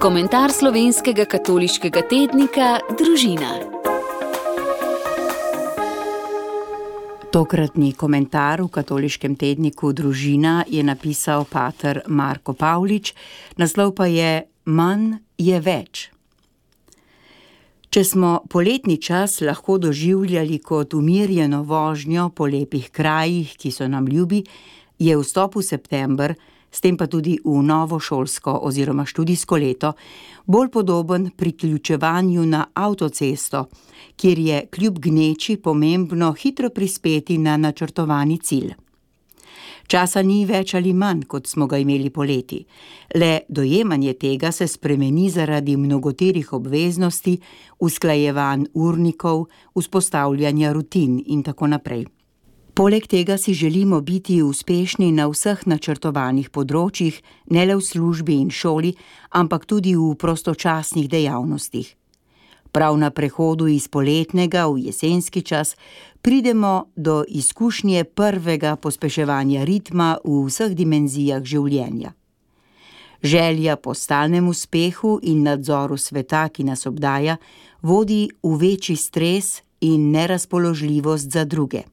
Komentar slovenskega katoliškega tednika Družina. Tokratni komentar v katoliškem tedniku Družina je napisal pater Marko Pavlič, naslov pa je Manj je več. Če smo poletni čas lahko doživljali kot umirjeno vožnjo po lepih krajih, ki so nam ljubi, je vstop v september, s tem pa tudi v novo šolsko oziroma študijsko leto, bolj podoben priključevanju na avtocesto, kjer je kljub gneči pomembno hitro prispeti na načrtovani cilj. Časa ni več ali manj, kot smo ga imeli poleti. Le dojemanje tega se spremeni zaradi mnogoterih obveznosti, usklajevanj urnikov, vzpostavljanja rutin in tako naprej. Poleg tega si želimo biti uspešni na vseh načrtovanih področjih, ne le v službi in šoli, ampak tudi v prostočasnih dejavnostih. Prav na prehodu iz poletnega v jesenski čas pridemo do izkušnje prvega pospeševanja ritma v vseh dimenzijah življenja. Želja po stalnem uspehu in nadzoru sveta, ki nas obdaja, vodi v večji stres in nerazpoložljivost za druge.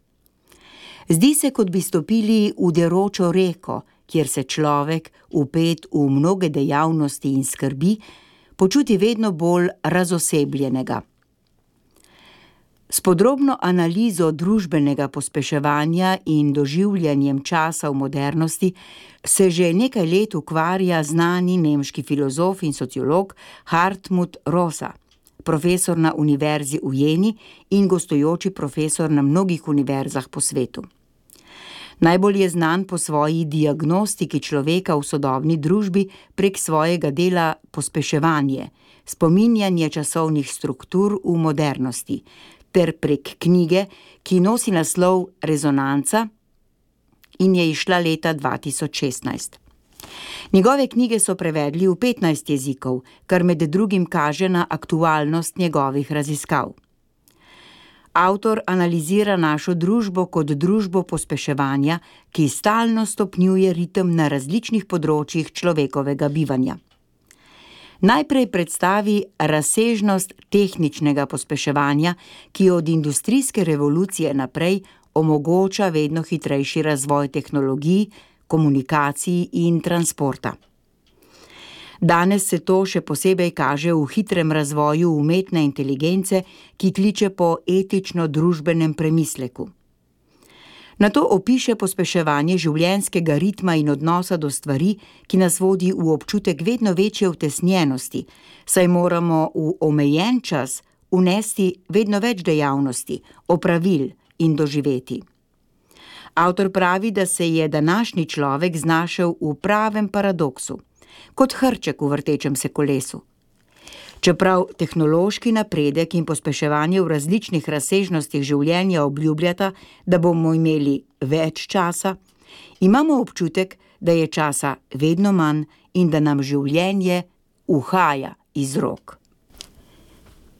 Zdi se, kot bi stopili v deročo reko, kjer se človek, vpet v mnoge dejavnosti in skrbi, počuti vedno bolj razosebljenega. S podrobno analizo družbenega pospeševanja in doživljanjem časa v modernosti se že nekaj let ukvarja znani nemški filozof in sociolog Hartmut Rosa, profesor na univerzi v Jeni in gostujoči profesor na mnogih univerzah po svetu. Najbolj je znan po svoji diagnostiki človeka v sodobni družbi prek svojega dela Pospeševanje, spominjanje časovnih struktur v modernosti, ter prek knjige, ki nosi naslov Rezonanca in je izšla leta 2016. Njegove knjige so prevedli v 15 jezikov, kar med drugim kaže na aktualnost njegovih raziskav. Avtor analizira našo družbo kot družbo pospeševanja, ki stalno stopnjuje ritem na različnih področjih človekovega bivanja. Najprej predstavi razsežnost tehničnega pospeševanja, ki od industrijske revolucije naprej omogoča vedno hitrejši razvoj tehnologij, komunikacij in transporta. Danes se to še posebej kaže v hitrem razvoju umetne inteligence, ki kliče po etično-družbenem premisleku. Nato opiše pospeševanje življenjskega ritma in odnosa do stvari, ki nas vodi v občutek vedno večje utesnjenosti, saj moramo v omejen čas vnesti vedno več dejavnosti, opravil in doživeti. Avtor pravi, da se je današnji človek znašel v pravem paradoksu, kot hrček v vrtečem se kolesu. Čeprav tehnološki napredek in pospeševanje v različnih razsežnostih življenja obljubljata, da bomo imeli več časa, imamo občutek, da je časa vedno manj in da nam življenje uhaja iz rok.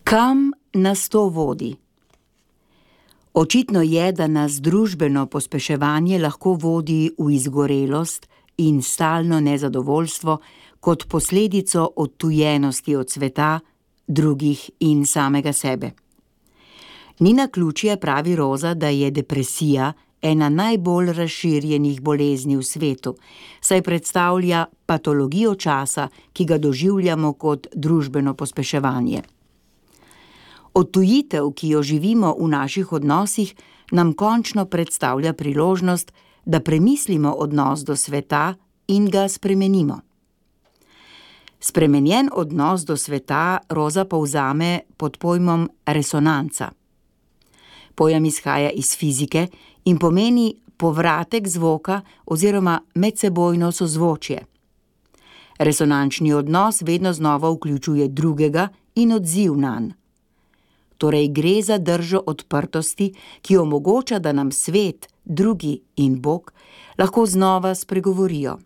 Kam nas to vodi? Očitno je, da nas družbeno pospeševanje lahko vodi v izgorelost in stalno nezadovoljstvo kot posledico odtujenosti od sveta, drugih in samega sebe. Ni naključje, pravi Rosa, da je depresija ena najbolj razširjenih bolezni v svetu, saj predstavlja patologijo časa, ki ga doživljamo kot družbeno pospeševanje. Odtujitev, ki jo živimo v naših odnosih, nam končno predstavlja priložnost, da premislimo odnos do sveta in ga spremenimo. Spremenjen odnos do sveta Rosa povzame pod pojmom resonanca. Pojem izhaja iz fizike in pomeni povratek zvoka oziroma medsebojno sozvočje. Resonančni odnos vedno znova vključuje drugega in odziv nanj. Torej gre za držo odprtosti, ki omogoča, da nam svet, drugi in Bog lahko znova spregovorijo.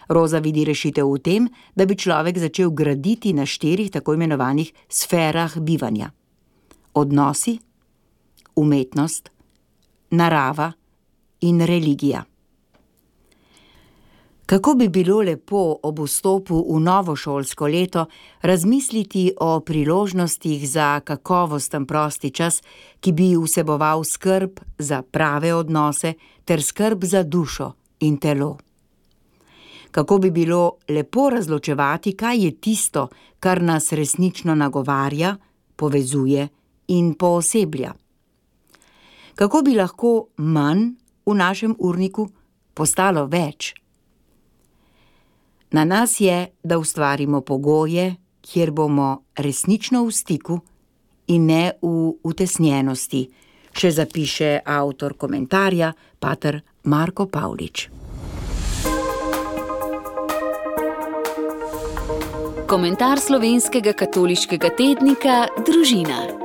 Rosa vidi rešitev v tem, da bi človek začel graditi na 4 tako imenovanih sferah bivanja. Odnosi, umetnost, narava in religija. Kako bi bilo lepo ob vstopu v novo šolsko leto razmisliti o priložnostih za kakovosten prosti čas, ki bi vseboval skrb za prave odnose ter skrb za dušo in telo. Kako bi bilo lepo razločevati, kaj je tisto, kar nas resnično nagovarja, povezuje in pooseblja. Kako bi lahko manj v našem urniku postalo več? Na nas je, da ustvarimo pogoje, kjer bomo resnično v stiku in ne v utesnjenosti, še zapiše avtor komentarja, pater Marko Pavlič. Komentar slovenskega katoliškega tednika Družina.